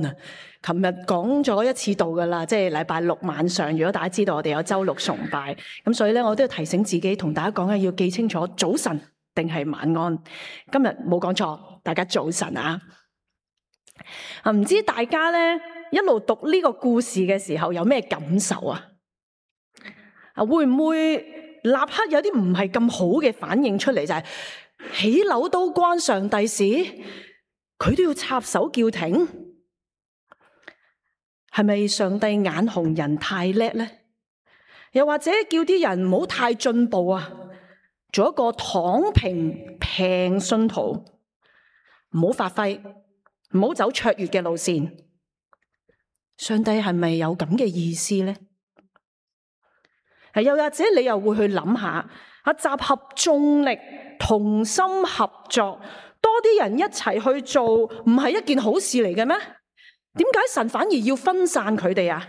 琴日講咗一次道噶啦，即係禮拜六晚上。如果大家知道我哋有周六崇拜，咁所以咧我都要提醒自己，同大家講嘅要記清楚早晨定係晚安。今日冇講錯，大家早晨啊！唔知大家咧一路讀呢個故事嘅時候有咩感受啊？會唔會立刻有啲唔係咁好嘅反應出嚟？就係起樓都關上帝事，佢都要插手叫停？係咪上帝眼紅人太叻呢？又或者叫啲人唔好太進步啊，做一個躺平信徒，唔好發揮，唔好走卓越嘅路線？上帝係咪有咁嘅意思呢？又或者你又會去諗下，集合眾力，同心合作，多啲人一齊去做，唔係一件好事嚟嘅咩？點解神反而要分散佢哋啊？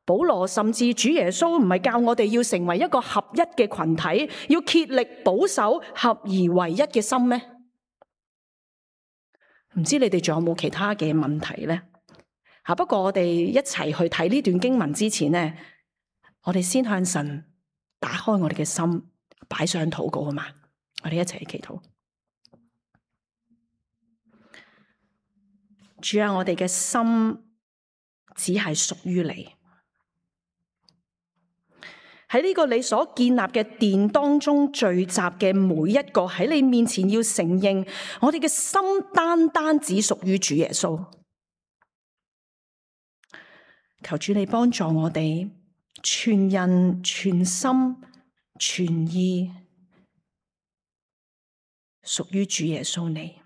保羅甚至主耶穌唔係教我哋要成為一個合一嘅群體，要竭力保守合而為一嘅心咩？唔知你哋仲有冇其他嘅問題呢？不過我哋一齊去睇呢段經文之前呢，我哋先向神打開我哋嘅心，擺上禱告啊嘛！我哋一齊祈禱。主啊，我哋嘅心只係屬於你。喺呢個你所建立嘅殿當中聚集嘅每一個喺你面前要承認，我哋嘅心單單只屬於主耶穌。求主你幫助我哋全人全心全意屬於主耶穌你。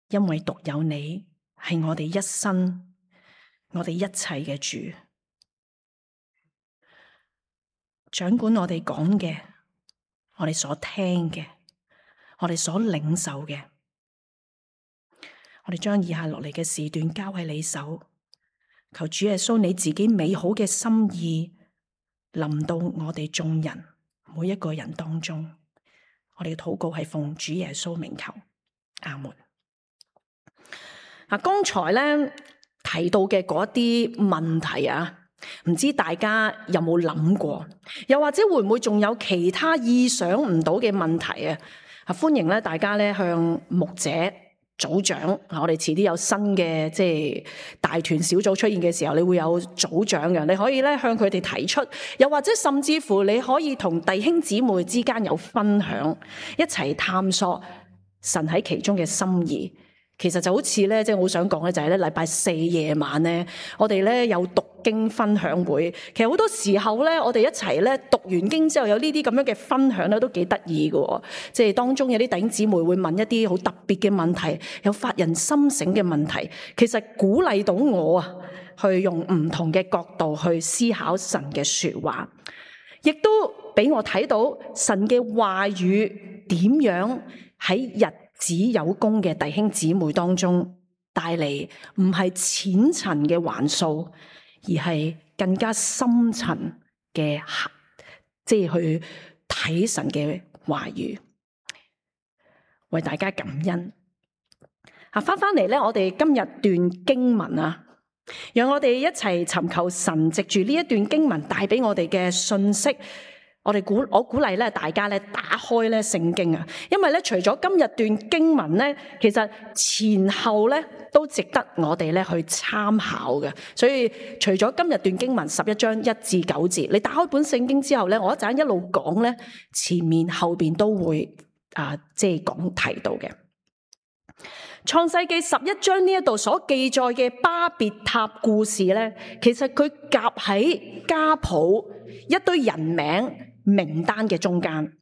因為獨有你係我哋一生，我哋一切嘅主，掌管我哋講嘅，我哋所聽嘅，我哋所領受嘅。我哋將以下落嚟嘅時段交喺你手，求主耶穌你自己美好嘅心意臨到我哋眾人每一個人當中。我哋嘅禱告係奉主耶穌名求，阿門。剛才咧提到嘅嗰啲問題啊，唔知大家有冇諗過？又或者會唔會仲有其他意想唔到嘅問題啊？歡迎咧大家咧向牧者、組長，我哋遲啲有新嘅即係大團小組出現嘅時候，你會有組長嘅，你可以咧向佢哋提出，又或者甚至乎你可以同弟兄姊妹之間有分享，一齊探索神喺其中嘅心意。其實就好似咧，即係我好想講咧，就係咧禮拜四夜晚咧，我哋咧有讀經分享會。其實好多時候咧，我哋一齊咧讀完經之後，有呢啲咁樣嘅分享咧，都幾得意嘅。即係當中有啲弟兄姊妹會問一啲好特別嘅問題，有發人心醒嘅問題。其實鼓勵到我啊，去用唔同嘅角度去思考神嘅說話，亦都俾我睇到神嘅話語點樣喺日子有功嘅弟兄姊妹當中帶嚟唔係淺層嘅環數，而係更加深層嘅，即係去睇神嘅話語，為大家感恩。翻嚟咧，我哋今日段經文啊，讓我哋一齊尋求神藉住呢一段經文帶俾我哋嘅信息。我鼓勵咧大家咧打開咧聖經啊，因為咧除咗今日段經文咧，其實前後咧都值得我哋咧去參考嘅。所以除咗今日段經文11章1至9節，你打開本聖經之後咧，我一陣一路講咧，前面後邊都會即係講提到嘅。創世記11章呢一度所記載嘅巴別塔故事咧，其實佢夾喺家譜一堆人名單嘅中間。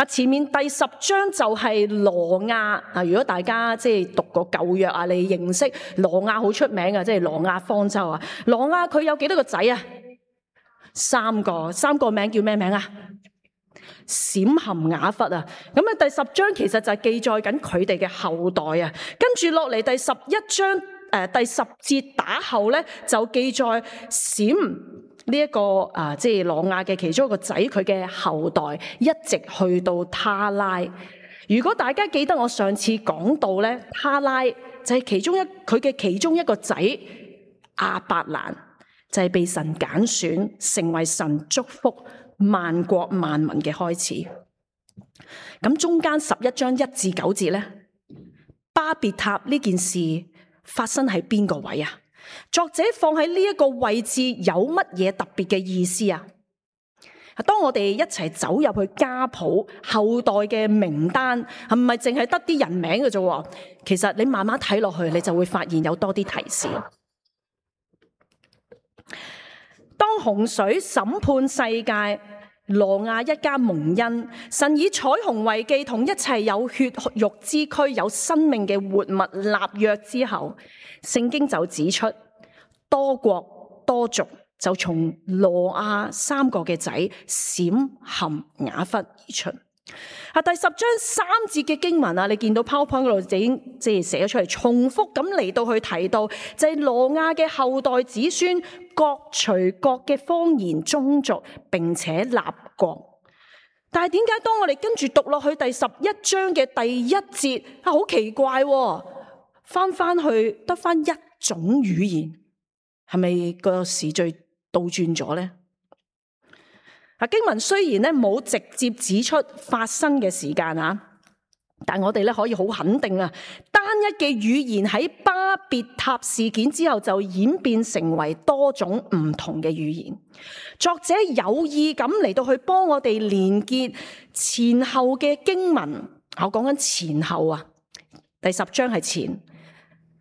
前面第10章就係挪亞。如果大家即係讀過舊約啊，你認識挪亞好出名啊，即係挪亞方舟啊。挪亞佢有幾多個仔啊？3個名叫咩名啊？閃含雅弗啊。咁第10章其實就係記載緊佢哋嘅後代啊。跟住落嚟第11章第10節打後咧，就記載閃呢一個即係挪亞嘅其中一個仔，佢嘅後代一直去到他拉。如果大家記得我上次講到咧，他拉就就係佢嘅其中一個仔亞伯蘭，就係被神揀選，成為神祝福萬國萬民嘅開始。咁中間11章1至9節咧，巴別塔呢件事發生喺邊個位啊？作者放喺呢一個位置有乜嘢特別嘅意思啊？當我哋一齊走入去家譜後代嘅名單，係唔係淨係得啲人名嘅啫？其實你慢慢睇落去，你就會發現有多啲提示。當洪水審判世界，挪亞一家蒙恩，神以彩虹為記，同一切有血肉之軀、有生命嘅活物立約之後，聖經就指出多國多族就從挪亞3個嘅仔閃、含、雅弗而出。第10章3節嘅經文啊，你見到 PowerPoint 嗰度已經即係寫咗出嚟，重複咁嚟到去提到，就係挪亞嘅後代子孫各隨各嘅方言宗族，並且立國。但係點解當我哋跟住讀落去第11章嘅第1節啊，好奇怪喎，翻去得翻一種語言，係咪個時序倒轉咗咧？經文雖然咧冇直接指出發生嘅時間啊，但我哋咧可以好肯定啊，單一嘅語言喺巴別塔事件之後就演變成為多種唔同嘅語言。作者有意咁嚟到去幫我哋連結前後嘅經文。我講緊前後啊，第10章係前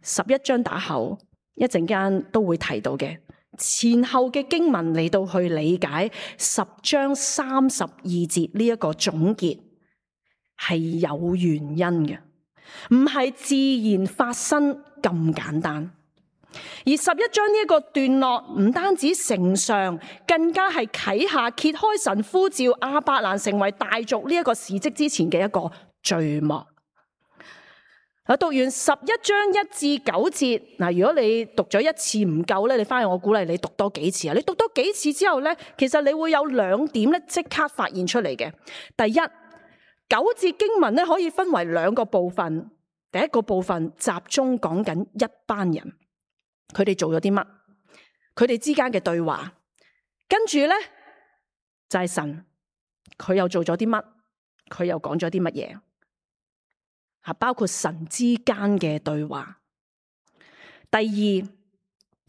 ，11章打後，一陣間都會提到嘅。前後嘅經文嚟到去理解10章32節呢一個總結係有原因嘅，唔係自然發生咁簡單。而11章呢一個段落唔單止成上，更加係啟下揭開神呼召亞伯蘭成為大族呢一個事蹟之前嘅一個序幕。讀完11章1至9節，如果你讀咗一次唔夠咧，你翻去我鼓勵你讀多幾次啊！你讀多幾次之後咧，其實你會有2點咧即刻發現出嚟嘅。第一，9節經文咧可以分為2個部分。第一個部分集中講緊一班人，佢哋做咗啲乜，佢哋之間嘅對話。跟住咧就係神，佢又做咗啲乜，佢又講咗啲乜嘢。包括神之間嘅對話。第二，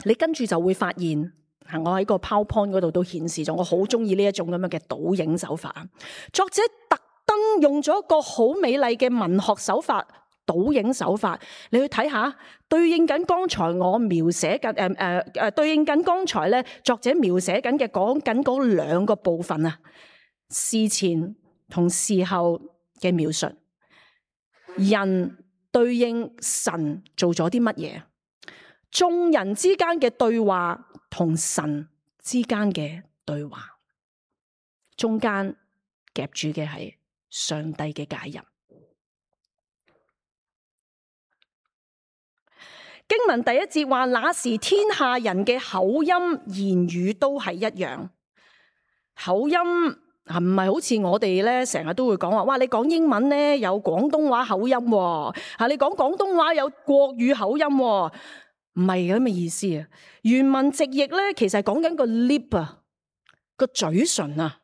你跟住就會發現，我喺個 PowerPoint 嗰度都顯示咗，我好中意呢一種咁樣嘅倒影手法。作者特登用咗一個好美麗嘅文學手法，倒影手法，你去睇下，對應緊剛才我描寫緊對應緊剛才咧作者描寫緊嘅講緊嗰2個部分啊，事前同事後嘅描述。人對應神做咗啲乜嘢？眾人之間嘅對話同神之間嘅對話，中間夾住嘅係上帝嘅介入。經文第1節話，那時天下人嘅口音言語都係一樣。口音唔係好似我哋咧成日都會講話，哇！你講英文咧有廣東話口音喎，你講廣東話有國語口音喎，唔係咁嘅意思啊。原文直譯咧其實係講緊個 lip 啊，個嘴唇啊。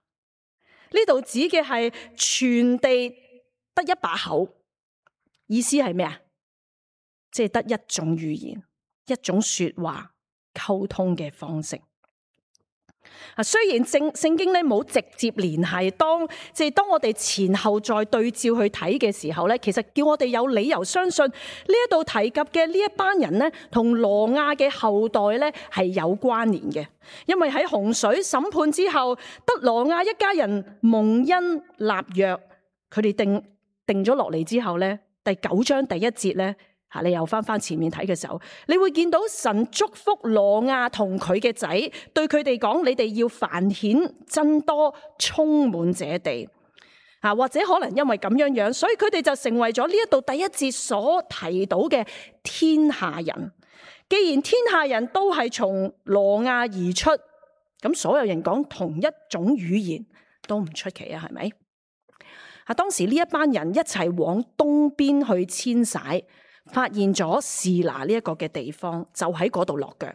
呢度指嘅係全地得一把口，意思係咩啊？即係得一種語言、一種說話溝通嘅方式。雖然聖經咧冇直接聯繫，當我哋前後再對照去睇嘅時候咧，其實叫我哋有理由相信呢一度提及嘅呢一班人咧，同挪亞嘅後代咧係有關聯嘅。因為喺洪水審判之後，得挪亞一家人蒙恩立約，佢哋定咗落嚟之後咧，第9章第1節咧。你又翻前面睇嘅時候，你會見到神祝福挪亞同佢嘅仔，對佢哋講：你哋要繁衍增多，充滿這地。或者可能因為咁樣，所以佢哋就成為咗呢一度第1節所提到嘅天下人。既然天下人都係從挪亞而出，咁所有人講同一種語言都唔出奇啊，係咪？當時呢一班人一齊往東邊去遷徙。發現咗示拿呢一個嘅地方，就喺嗰度落腳。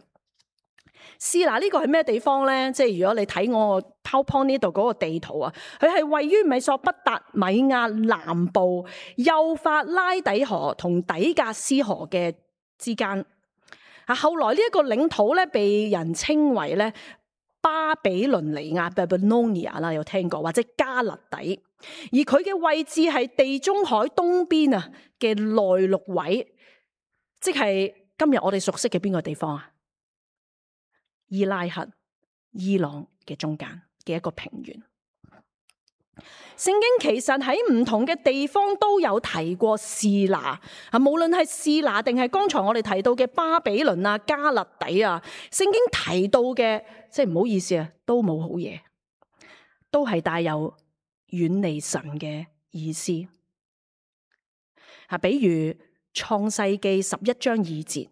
示拿呢個係咩地方咧？即係如果你睇我 PowerPoint 呢度嗰個地圖啊，佢係位於美索不達米亞南部幼發拉底河同底格斯河嘅之間。後來呢一個領土咧，被人稱為咧巴比倫尼亞 Babylonia 啦，有聽過，或者加勒底。而佢嘅位置係地中海東邊啊嘅內陸位，即係今日我哋熟悉嘅邊個地方啊？伊拉克、伊朗嘅中間嘅一個平原。聖經其實喺唔同嘅地方都有提過示拿啊，無論係示拿定係剛才我哋提到嘅巴比倫啊、加勒底啊，聖經提到嘅，即係唔好意思啊，都冇好嘢，都係帶有遠離神嘅意思啊。比如創世記11章2節，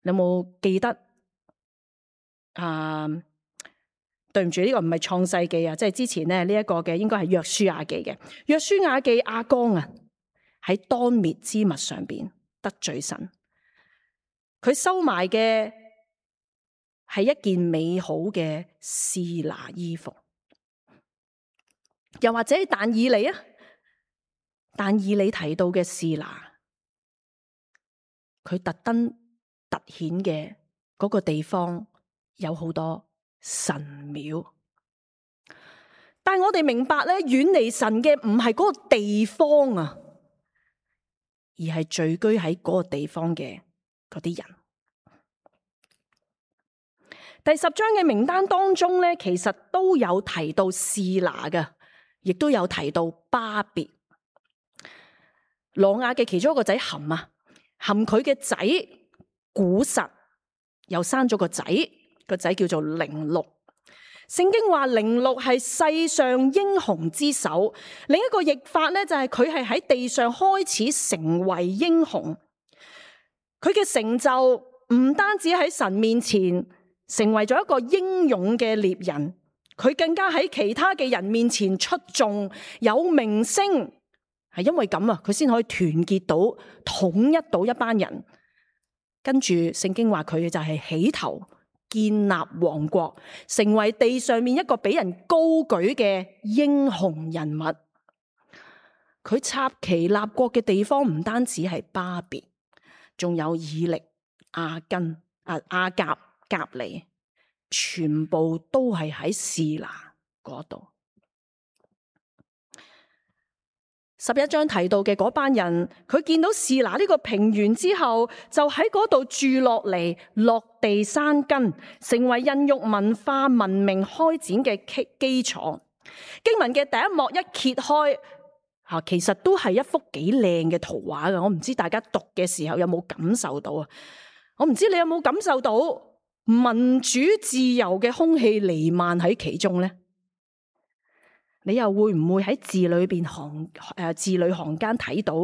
你有冇記得？對唔住，呢個唔係創世記啊，即係之前咧呢一個嘅應該係約書亞記嘅。約書亞記亞剛啊，喺當滅之物上邊得罪神，佢收埋嘅係一件美好嘅示拿衣服。又或者但以理啊，但以理提到嘅示拿，佢特登凸顯嘅嗰個地方有好多神廟，但係我哋明白咧，遠離神嘅唔係嗰個地方啊，而係聚居喺嗰個地方嘅嗰啲人。第10章嘅名單當中咧，其實都有提到示拿嘅，亦都有提到巴別。挪亞嘅其中一個仔含啊，含佢嘅仔古實又生咗個仔。個仔叫做寧錄，聖經話寧錄係世上英雄之首。另一個譯法咧就係佢係喺地上開始成為英雄。佢嘅成就唔單止喺神面前成為咗一個英勇嘅獵人，佢更加喺其他嘅人面前出眾有名聲。係因為咁啊，佢先可以團結到統一到一班人。跟住聖經話佢就係起頭，建立王國，成為地上面一個俾人高舉嘅英雄人物。佢插旗立國嘅地方唔單止係巴別，仲有以力、亞根、亞甲、革尼，全部都係喺示拿嗰度。11章提到嘅嗰班人，佢見到示拿呢個平原之後，就喺嗰度住落嚟，落地生根，成為孕育文化文明開展嘅基礎。經文嘅第一幕一揭開，其實都係一幅幾靚嘅圖畫㗎。我唔知大家讀嘅時候有冇感受到啊？我唔知你有冇感受到民主自由嘅空氣彌漫喺其中呢？你又會唔會喺字裏行間睇到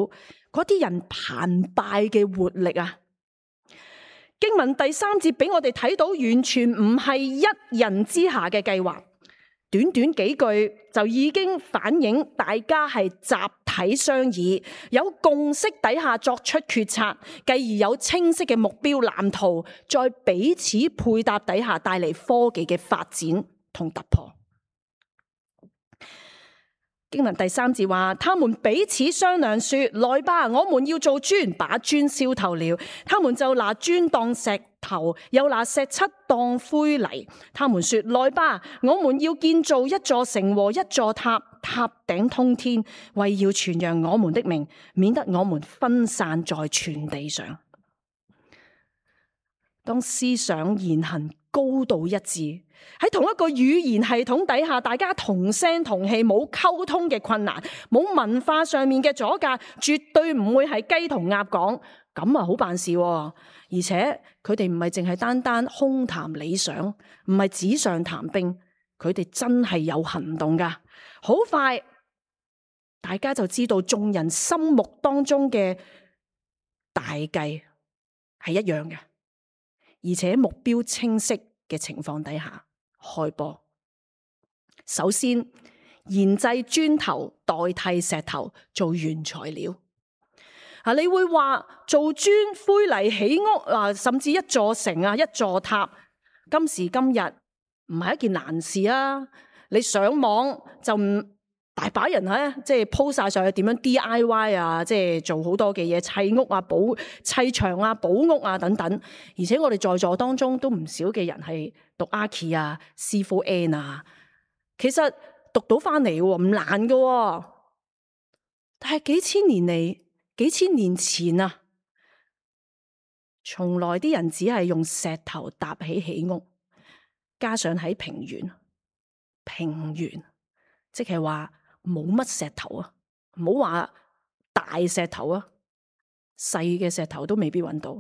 嗰啲人澎湃嘅活力啊？經文第3節俾我哋睇到，完全唔係一人之下嘅計劃，短短幾句就已經反映大家係集體商議，有共識底下作出決策，繼而有清晰嘅目標藍圖，再彼此配搭底下帶嚟科技嘅發展同突破。經文第3節話，他們彼此商量說：來吧，我們要做磚，把磚燒透了。他們就拿磚當石頭，又拿石漆當灰泥。他們說：來吧，我們要建造一座城和一座塔，塔頂通天，為要傳揚我們的名，免得我們分散在全地上。當思想言行高度一致，喺同一個語言系統底下，大家同聲同氣，冇溝通嘅困難，冇文化上面嘅阻隔，絕對唔會係雞同鴨講，咁啊好辦事。而且佢哋唔係淨係單單空談理想，唔係紙上談兵，佢哋真係有行動噶。好快，大家就知道眾人心目當中嘅大計係一樣嘅。而且目標清晰嘅情況底下開波。首先研製磚頭代替石頭做原材料。你會話做磚灰泥起屋甚至一座城一座塔，今時今日唔係一件難事啊！你上網就唔大把人即係 po 晒上去點樣 DIY 即係做好多嘅嘢，砌屋砌牆補屋等等。而且我哋在座當中都唔少嘅人係讀 Archi 師傅 N 其實讀到翻嚟唔難㗎。但係幾千年前從來啲人只係用石頭搭起屋，加上喺平原，即係話冇乜石頭唔好話大石頭細嘅石頭都未必揾到。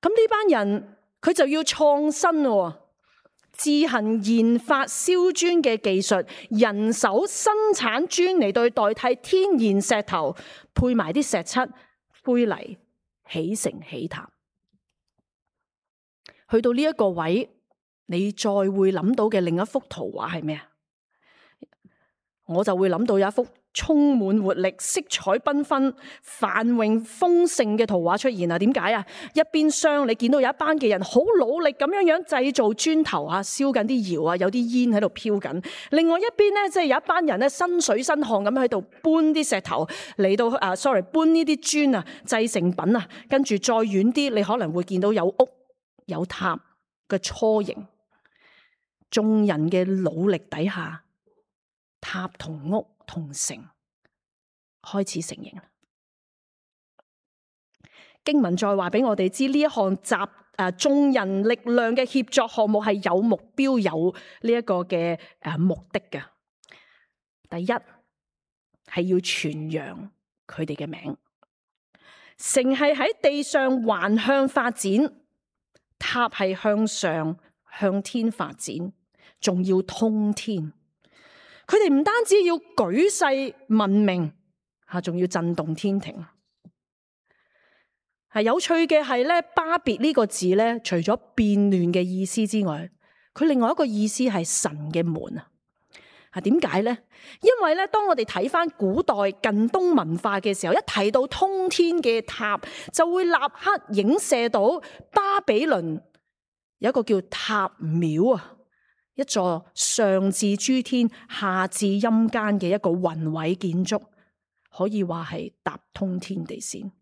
咁呢班人佢就要創新自行研發燒磚嘅技術，人手生產磚嚟代替天然石頭，配埋啲石漆灰泥，起城起塔。去到呢一個位，你再會諗到嘅另一幅圖畫係咩？我就會諗到有一幅充滿活力、色彩繽紛、繁榮豐盛嘅圖畫出現。點解一邊廂你見到有一班嘅人好努力咁樣製造磚頭燒緊啲窯有啲煙喺度飄緊。另外一邊咧，即係有一班人咧，身水身汗咁喺度搬啲石頭嚟到搬呢啲磚製成品跟住再遠啲，你可能會見到有屋有塔嘅雛形。眾人嘅努力底下，塔同屋同城開始成形。經文再話俾我哋知，呢一項眾人力量嘅協作項目係有目標、有呢一個嘅目的嘅。第一係要傳揚佢哋嘅名，城係喺地上橫向發展，塔係向上向天發展，仲要通天。佢哋唔單止要舉世聞名，仲要震動天庭。有趣嘅係咧，巴別呢個字咧，除咗變亂嘅意思之外，佢另外一個意思係神嘅門點解咧？因為咧，當我哋睇翻古代近東文化嘅時候，一提到通天嘅塔，就會立刻影射到巴比倫有一個叫塔廟一座上至諸天下至陰間嘅一個宏偉建築，可以話係搭通天地線。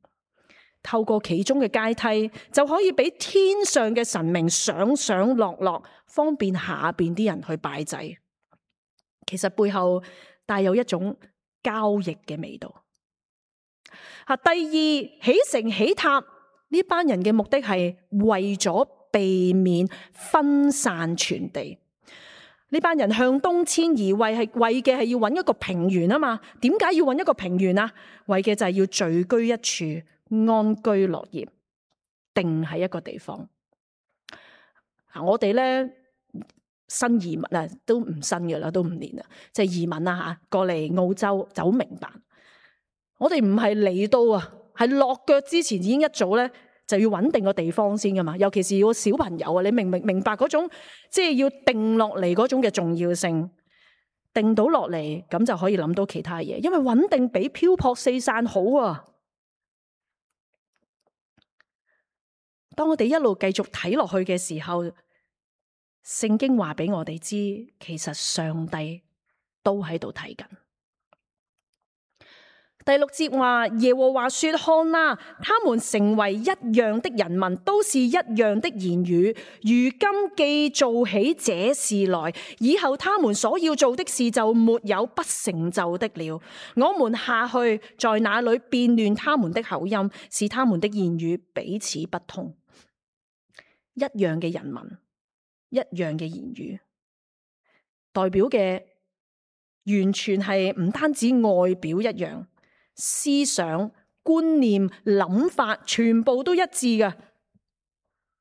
透過其中嘅階梯，就可以俾天上嘅神明上上落落，方便下邊啲人去拜祭。其實背後帶有一種交易嘅味道。第二，起城起塔呢班人嘅目的係為咗避免分散全地。呢班人向東遷移，為嘅係要揾一個平原啊嘛。點解要揾一個平原為嘅就係要聚居一處，安居樂業，定喺一個地方。我哋咧新移民都唔新嘅啦，都5年啦，即係移民過嚟澳洲就好明白。我哋唔係嚟到係落腳之前已經一早咧就要穩定個地方先噶嘛。尤其是個小朋友你明白嗰種即係要定落嚟嗰種嘅重要性。定到落嚟咁就可以諗到其他嘢，因為穩定比漂泊四散好當我哋一路繼續睇落去嘅時候，聖經話俾我哋知，其實上帝都喺度睇緊。第6節話，耶和華說：看啊，他們成為一樣的人民，都是一樣的言語。如今既做起這事來，以後他們所要做的事就沒有不成就的了。我們下去，在那裏變亂他們的口音，使他們的言語彼此不通。一樣嘅人民，一樣嘅言語，代表嘅完全係唔單止外表一樣，思想、觀念、諗法全部都一致嘅。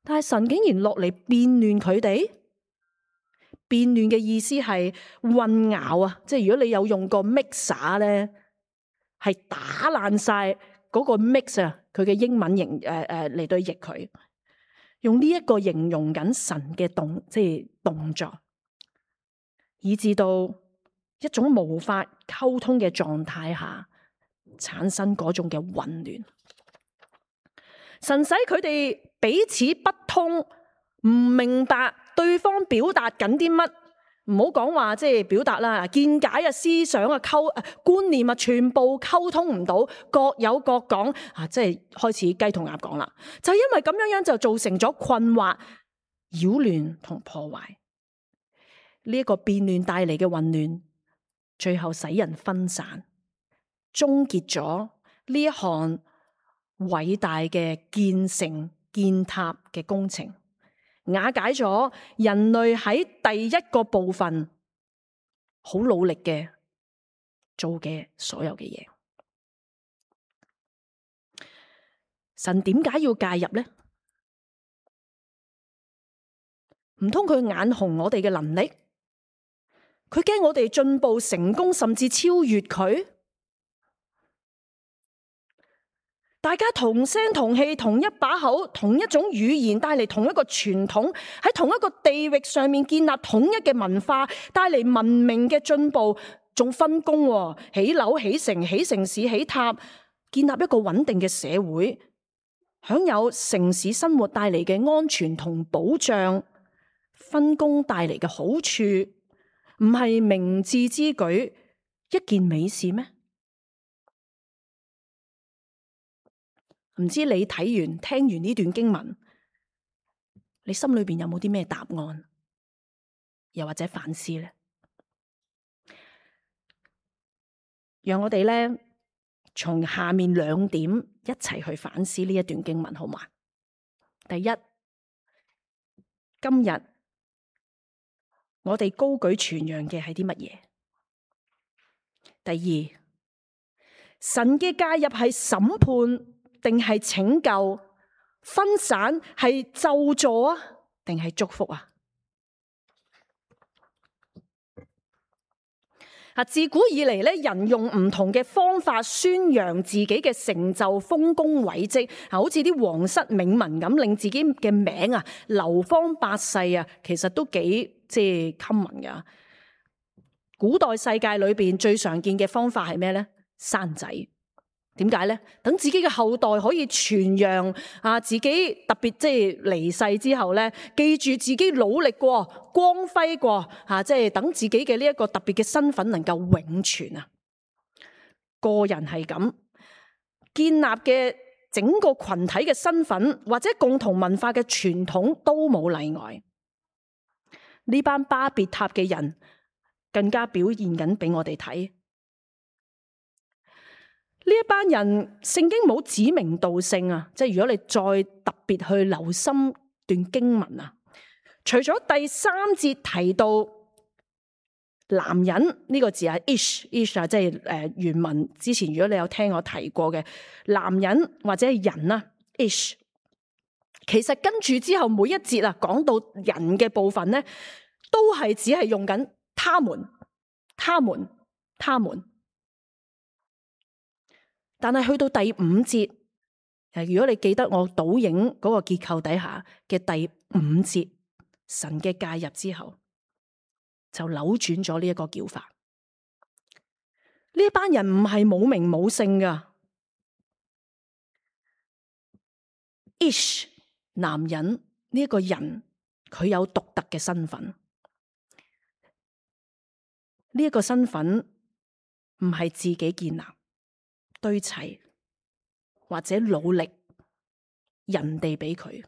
但係神竟然落嚟變亂佢哋。變亂嘅意思係混淆即係如果你有用過 mixer 咧，係打爛晒嗰個 mix 佢嘅英文型嚟對譯佢。用呢一個形容緊神嘅動作，以致到一種無法溝通嘅狀態下，產生嗰種嘅混亂。神使佢哋彼此不通，唔明白對方表達緊啲乜。唔好講話即係表達啦，見解啊、思想啊、觀念啊，全部溝通唔到，各有各講啊，即係開始雞同鴨講啦。就因為咁樣就造成咗困惑、擾亂同破壞。呢一個變亂帶嚟嘅混亂，最後使人分散，終結咗呢一項偉大嘅建成建塔嘅工程，瓦解咗人類喺第一個部分好努力嘅做嘅所有嘅嘢。神點解要介入呢？唔通佢眼紅我哋嘅能力？佢驚我哋進步成功，甚至超越佢？大家同聲同氣，同一把口，同一種語言，帶嚟同一個傳統，喺同一個地域上面建立統一嘅文化，帶嚟文明嘅進步，仲分工，起樓、起城、起城市、起塔，建立一個穩定嘅社會，享有城市生活帶嚟嘅安全同保障，分工帶嚟嘅好處，唔係明智之舉，一件美事咩？唔知你睇完聽完呢段經文，你心裏邊有冇啲咩答案，又或者反思呢？讓我哋咧從下面兩點一齊去反思呢一段經文，好嗎？第一，今日我哋高舉傳揚嘅係啲乜嘢？第二，神嘅介入係審判定係拯救？分散係咒詛啊，定係祝福啊？自古以嚟咧，人用唔同嘅方法宣揚自己嘅成就、豐功偉績，好似啲皇室銘文咁，令自己嘅名啊流芳百世啊，其實都幾即係 common 噶。古代世界裏邊最常見嘅方法係咩咧？生仔。點解咧？等自己嘅後代可以傳揚啊，自己特別即係離世之後咧，記住自己努力過、光輝過啊，即係等自己嘅呢一個特別嘅身份能夠永存啊。個人係咁建立嘅整個群體嘅身份或者共同文化嘅傳統都冇例外。呢班巴別塔嘅人更加表現緊俾我哋睇。呢一班人聖經冇指名道姓啊，即係如果你再特別去留心段經文啊，除咗第3節提到男人呢個字係 ish 啊，即係原文之前如果你有聽我提過嘅男人或者係人啊 ish， 其實跟住之後每一節啊講到人嘅部分咧，都係只係用緊他們。但係去到第5節，如果你記得我倒影嗰個結構底下嘅第5節，神嘅介入之後，就扭轉咗呢一個叫法。呢一班人唔係冇名冇姓噶。Ish 男人呢一個人，佢有獨特嘅身份。呢一個身份唔係自己建立、堆砌或者努力，人哋俾佢。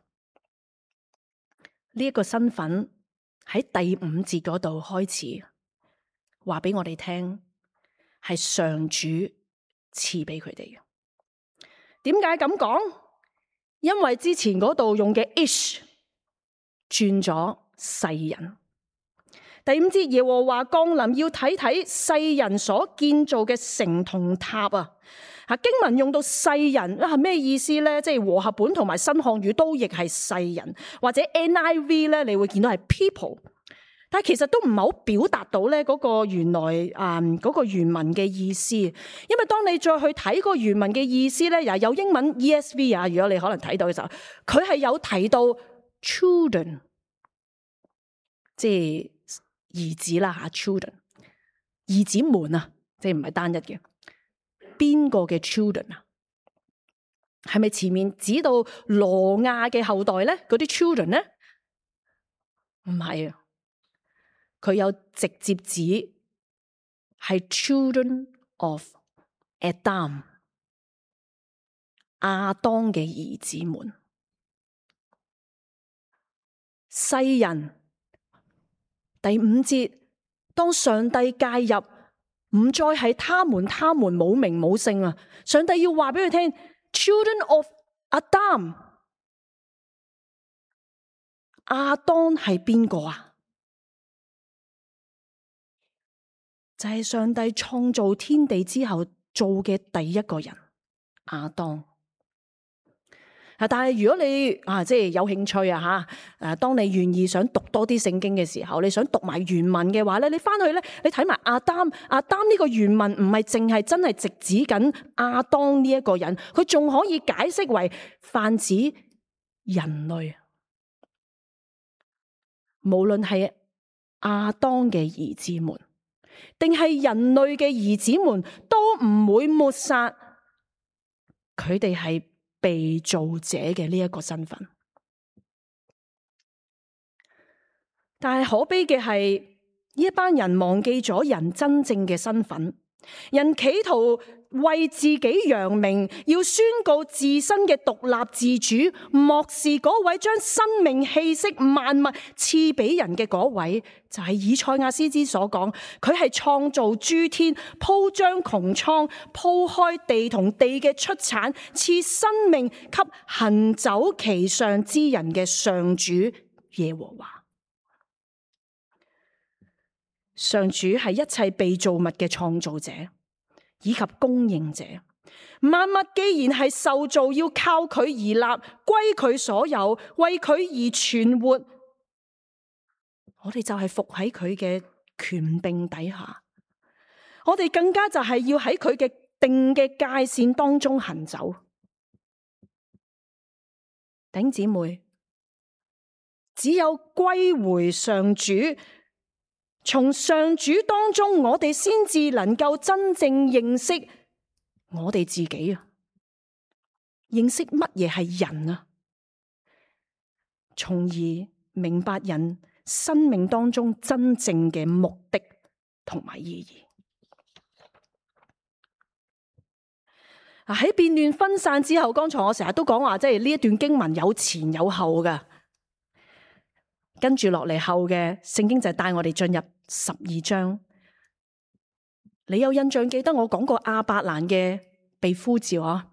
呢一個身份喺第5節嗰度開始話俾我哋聽，係上主賜俾佢哋嘅。點解咁講？因為之前嗰度用嘅 ish 轉咗世人。第5節，耶和華降臨，要睇睇世人所建造嘅城同塔啊！經文用到世人係咩意思咧？即係和合本同埋新漢語都譯係世人，或者 NIV 咧，你會見到係 people， 但係其實都唔係好表達到咧嗰個原來嗰個原文嘅意思。因為當你再去睇個原文嘅意思咧，又有英文 ESV 啊，如果你可能睇到嘅時候，佢係有提到 children， 即係兒子啦吓 children， 兒子們啊，即係唔係單一嘅。邊個嘅 children 啊？係咪前面指到羅亞嘅後代咧？嗰啲 children 咧？唔係啊，佢有直接指係 children of Adam， 亞當嘅兒子們。世人第5節，當上帝介入，唔再係他們冇名冇姓啊！上帝要話俾佢聽 ，children of Adam， 亞當係邊個啊？就係上帝創造天地之後做嘅第一個人，亞當。但係如果你即係有興趣啊吓，當你願意想讀多啲聖經嘅時候，你想讀埋原文嘅話咧，你翻去咧，你睇埋亞當呢個原文唔係淨係真係直指緊亞當呢一個人，佢仲可以解釋為泛指人類，無論係亞當嘅兒子們，定係人類嘅兒子們，都唔會抹殺佢哋係被造者嘅呢一個身份。但係可悲嘅係呢一班人忘記咗人真正嘅身份，人企圖為自己揚名，要宣告自身嘅獨立自主，漠視嗰位將生命氣息萬物賜俾人嘅嗰位，就係以賽亞先知所講，佢係創造諸天，鋪張穹蒼，鋪開地同地嘅出產，賜生命給行走其上之人嘅上主耶和華。上主係一切被造物嘅創造者以及供應者，萬物既然係受造，要靠佢而立，歸佢所有，為佢而存活。我哋就係服喺佢嘅權柄底下，我哋更加就係要喺佢嘅定嘅界線當中行走。弟兄姊妹，只有歸回上主，從上主當中，我哋先至能夠真正認識我哋自己啊！認識乜嘢係人啊？從而明白人生命當中真正嘅目的同埋意義。喺變亂分散之後，剛才我成日都講話，即係呢一段經文有前有後㗎。跟住落嚟後嘅聖經就帶我哋進入12章。你有印象記得我講過亞伯蘭嘅被呼召啊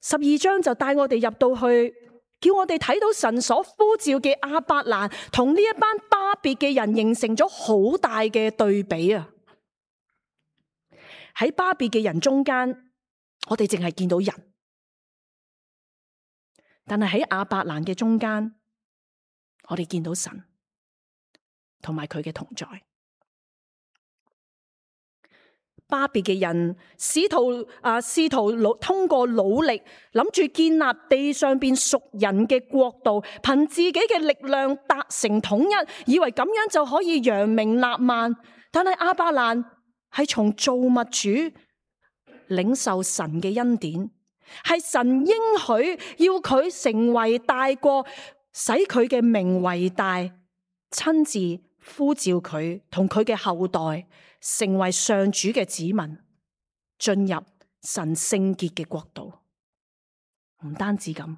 ？12章就帶我哋入到去，叫我哋睇到神所呼召嘅亞伯蘭同呢一班巴別嘅人形成咗好大嘅對比啊！喺巴別嘅人中間，我哋淨係見到人，但係喺亞伯蘭嘅中間，我哋見到神同埋佢嘅同在。巴別嘅人試圖通過努力，諗住建立地上邊屬人嘅國度，憑自己嘅力量達成統一，以為咁樣就可以揚名立萬。但係亞伯蘭係從造物主領受神嘅恩典，係神應許要佢成為大國，使佢嘅名為大，親自呼召佢同佢嘅後代成為上主嘅子民，進入神聖潔嘅國度。唔單止咁，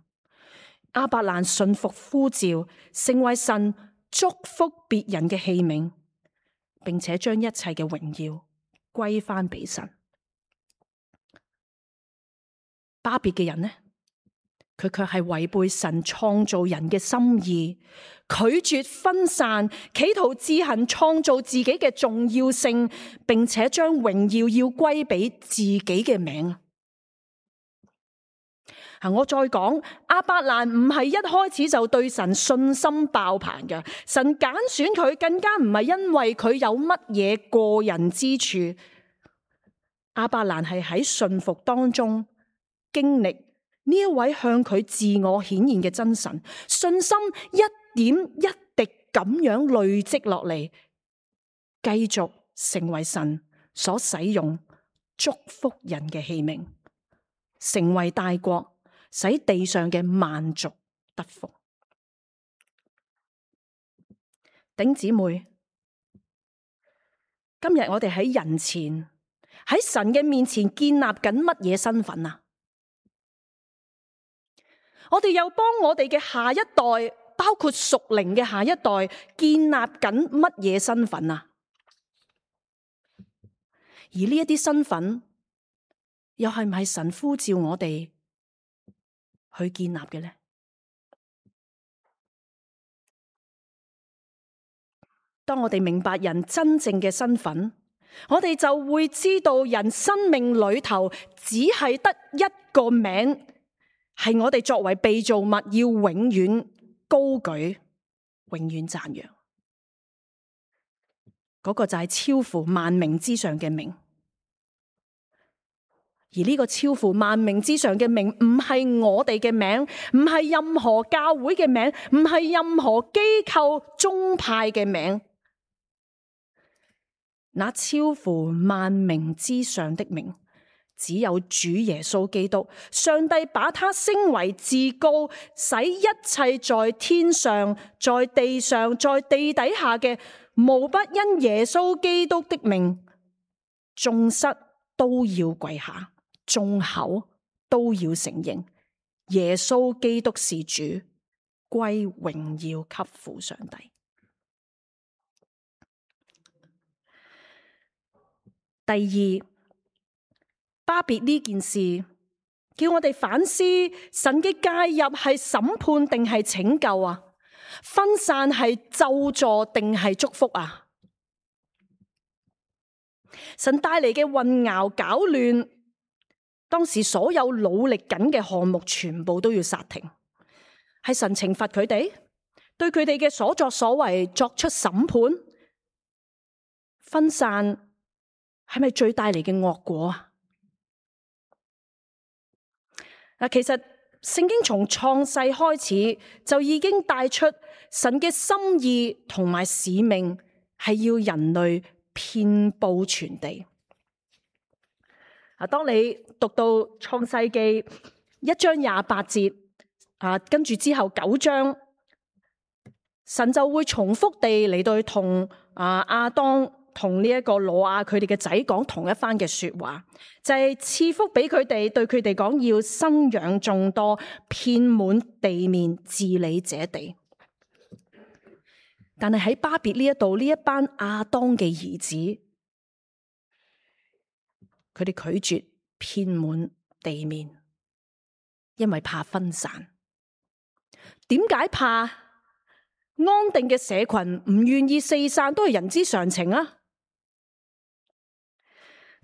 亞伯蘭順服呼召，成為神祝福別人嘅器皿，並且將一切嘅榮耀歸翻俾神。巴別嘅人呢？佢卻係違背神創造人嘅心意，拒絕分散，企圖自行創造自己嘅重要性，並且將榮耀要歸俾自己嘅名。我再講，亞伯蘭唔係一開始就對神信心爆棚嘅，神揀選佢更加唔係因為佢有乜嘢過人之處。亞伯蘭係喺信服當中經歷呢一位向佢自我顯現嘅真神，信心一點一滴咁樣累積落嚟，繼續成為神所使用祝福人嘅器皿，成為大國，使地上嘅萬族得福。弟兄姊妹，今日我哋喺人前，喺神嘅面前建立緊乜嘢身份啊？我哋又幫我哋嘅下一代，包括屬靈嘅下一代，建立緊乜嘢身份啊？而呢一啲身份，又係唔係神呼召我哋去建立嘅呢？當我哋明白人真正嘅身份，我哋就會知道人生命裏頭只係得一個名，係我哋作為被造物要永遠高舉、永遠讚揚。嗰個就係超乎萬名之上嘅名。而呢個超乎萬名之上嘅名，唔係我哋嘅名，唔係任何教會嘅名，唔係任何機構宗派嘅名。那超乎萬名之上的名，只有主耶穌基督。上帝把他升為至高，使一切在天上、在地上、在地底下嘅，無不因耶穌基督的名，眾膝都要跪下，眾口都要承認耶穌基督是主，歸榮耀給父上帝。第二，巴別呢件事叫我哋反思，神嘅介入係審判定係拯救啊？分散係咒詛定係祝福啊？神帶嚟嘅混淆搞亂，當時所有努力緊嘅項目全部都要煞停，係神懲罰佢哋，對佢哋嘅所作所為作出審判。分散係咪最帶嚟嘅惡果啊？其實聖經從創世開始就已經帶出神嘅心意同埋使命，係要人類遍布全地。當你讀到創世記1章28節，跟住之後9章，神就會重複地嚟到同亞當同呢一個挪亞佢哋嘅仔講同一番嘅說話，就係賜福俾佢哋，對佢哋講要生養眾多，遍滿地面，治理這地。但係喺巴別呢一度，呢一班亞當嘅兒子，佢哋拒絕遍滿地面，因為怕分散。點解怕？安定嘅社群唔願意四散，都係人之常情啊。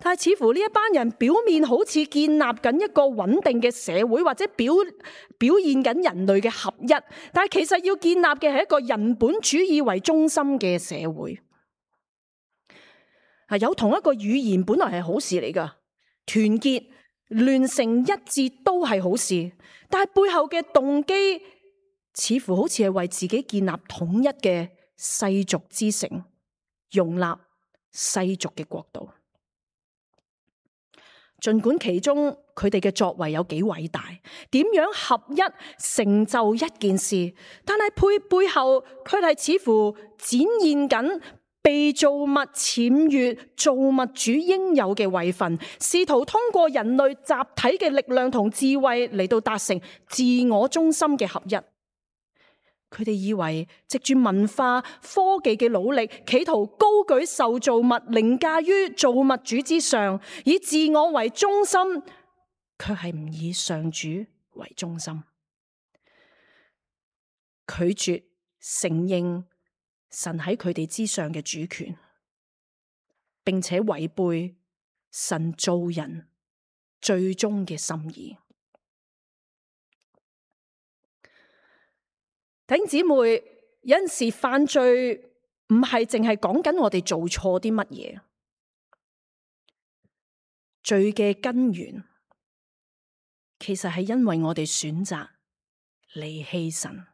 但係似乎呢一班人表面好似建立緊一個穩定嘅社會，或者表現緊人類嘅合一，但係其實要建立嘅係一個人本主義為中心嘅社會。有同一個語言本來係好事嚟㗎，團結聯成一致都係好事，但係背後嘅動機似乎好似係為自己建立統一嘅世俗之城，容納世俗嘅國度。儘管其中佢哋嘅作為有幾偉大，點樣合一成就一件事，但係背後佢哋似乎展現緊被造物僭越造物主應有嘅位分，試圖通過人類集體嘅力量同智慧嚟到達成自我中心嘅合一。佢哋以為藉住文化科技嘅努力，企圖高舉受造物，凌駕於造物主之上，以自我為中心，卻係唔以上主為中心，拒絕承認神喺佢哋之上嘅主權，並且違背神造人最終嘅心意。弟兄姊妹，有陣時犯罪唔係淨係講緊我哋做錯啲乜嘢，罪嘅根源其實係因為我哋選擇離棄神，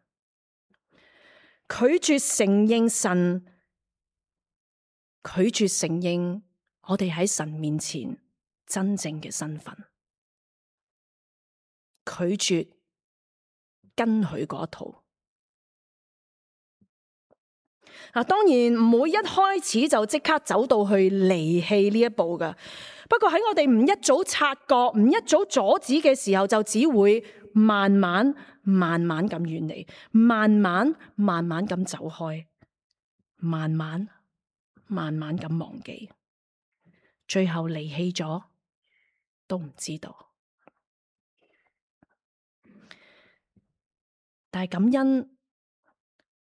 拒絕承認神，拒絕承認我哋喺神面前真正嘅身份，拒絕跟佢嗰套。當然唔會一開始就即刻走到去離棄呢一步㗎。不過喺我哋唔一早察覺、唔一早阻止嘅時候，就只會慢慢咁遠離，慢慢咁走開，慢慢咁忘記，最後離棄咗都唔知道。但係感恩，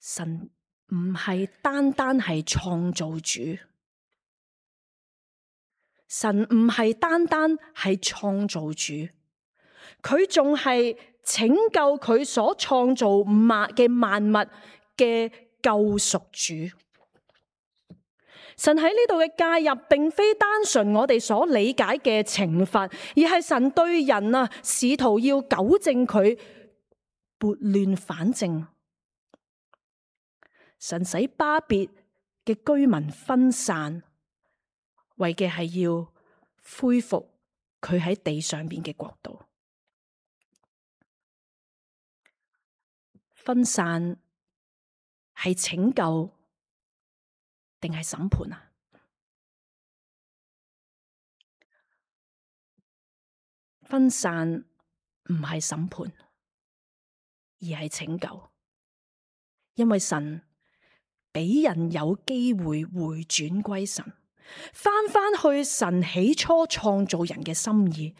神唔係單係創造主，神唔係單係創造主，佢仲係拯救佢所創造嘅萬物嘅救贖主。神喺呢度嘅介入，並非單純我哋所理解嘅懲罰，而係神對人試圖要糾正佢撥亂反正。神使巴別嘅居民分散，為嘅係要恢復佢喺地上邊嘅國度。分散係拯救定係審判啊？分散唔係審判，而係拯救，因為神俾人有機會回轉歸神，翻去神起初創造人嘅心意。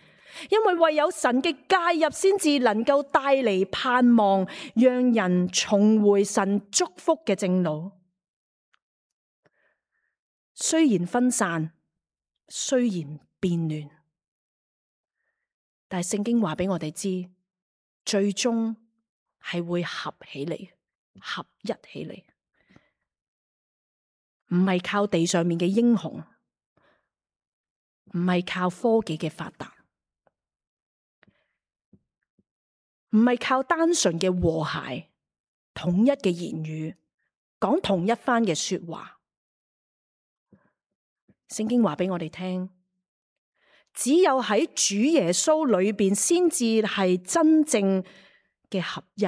因為唯有神嘅介入，先至能夠帶嚟盼望，讓人重回神祝福嘅正路。雖然分散，雖然變亂，但係聖經話俾我哋知，最終係會合起嚟，合一起嚟，唔係靠地上面嘅英雄，唔係靠科技嘅發達，唔係靠單純嘅和諧、統一嘅言語，講同一番嘅說話。聖經話俾我哋聽，只有喺主耶穌裏邊，先至係真正嘅合一，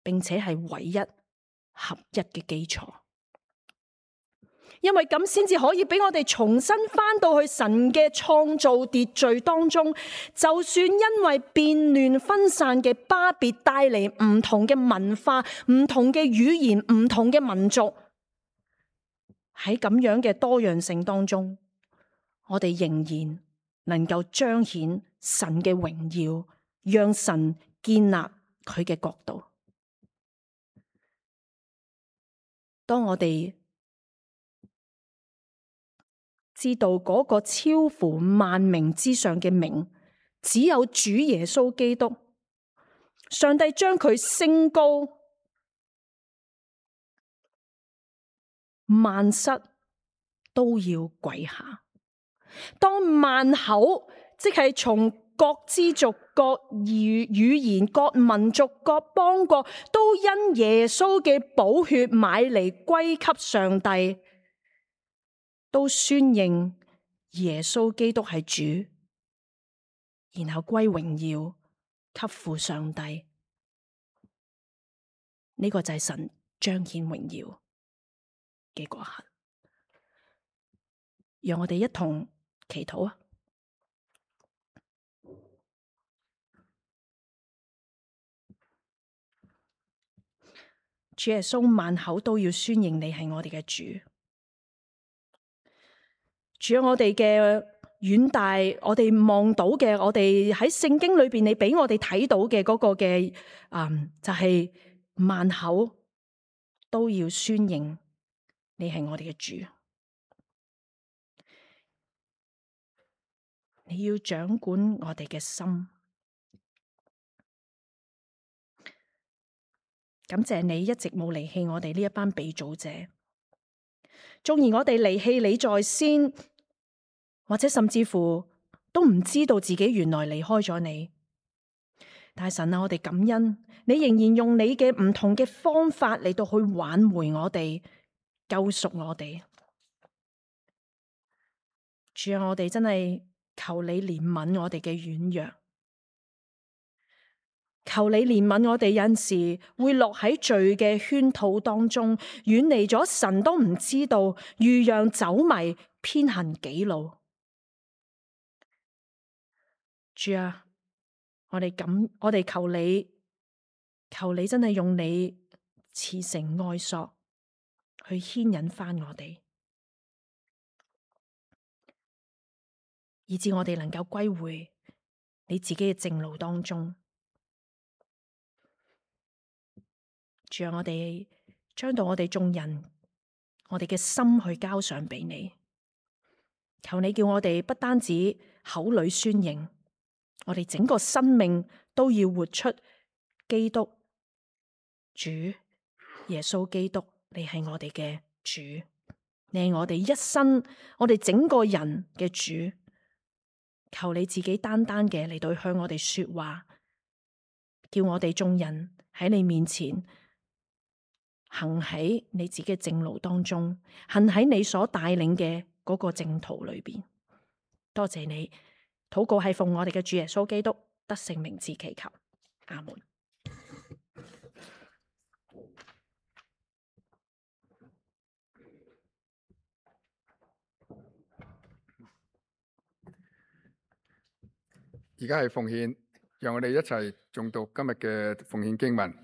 並且係唯一合一嘅基礎。因為咁先至可以俾我哋重新翻到去神嘅創造秩序當中。就算因為變亂分散嘅巴別帶嚟唔同嘅文化、唔同嘅語言、唔同嘅民族，喺咁樣嘅多樣性當中，我哋仍然能夠彰顯神嘅榮耀，讓神建立佢嘅國度。當我哋知道嗰個超乎萬名之上嘅名，只有主耶穌基督，上帝將佢升高，萬膝都要跪下。當萬口，即係從各支族、各語言、各民族、各邦國，都因耶穌嘅寶血買嚟歸給上帝，都宣認耶穌基督係主，然後歸榮耀給父上帝。呢個就係神彰顯榮耀嘅嗰刻。讓我哋一同祈禱啊！主耶穌，萬口都要宣認你係我哋嘅主。主，我哋嘅遠大，我哋望到嘅，我哋喺聖經裏邊，你俾我哋睇到嘅嗰個嘅，就係萬口都要宣認你係我哋嘅主。你要掌管我哋嘅心。感謝你一直冇離棄我哋呢一班被造者。縱然我哋離棄你在先，或者甚至乎都唔知道自己原來離開咗你，但係神啊，我哋感恩，你仍然用你嘅唔同嘅方法嚟到去挽回我哋，救贖我哋。主啊，我哋真係求你憐憫我哋嘅軟弱，求你憐憫我哋有陣時會落喺罪嘅圈套當中，遠離咗神都唔知道，如羊走迷，偏行己路。主啊，我哋求你真係用你慈繩愛索去牽引翻我哋，以致我哋能夠歸回你自己嘅正路當中。主啊，我哋將到我哋眾人，我哋嘅心去交上俾你。求你叫我哋不單止口裏宣認，我哋整個生命都要活出基督主耶穌基督。你係我哋嘅主，你係我哋一生，我哋整個人嘅主。求你自己單單嘅嚟到向我哋說話，叫我哋眾人喺你面前行喺你自己嘅正路當中，行喺你所帶領嘅嗰個正途裏邊。多謝你，禱告係奉我哋嘅主耶穌基督得勝名字祈求，阿門。而家係奉獻，讓我哋一齊誦讀今日嘅奉獻經文。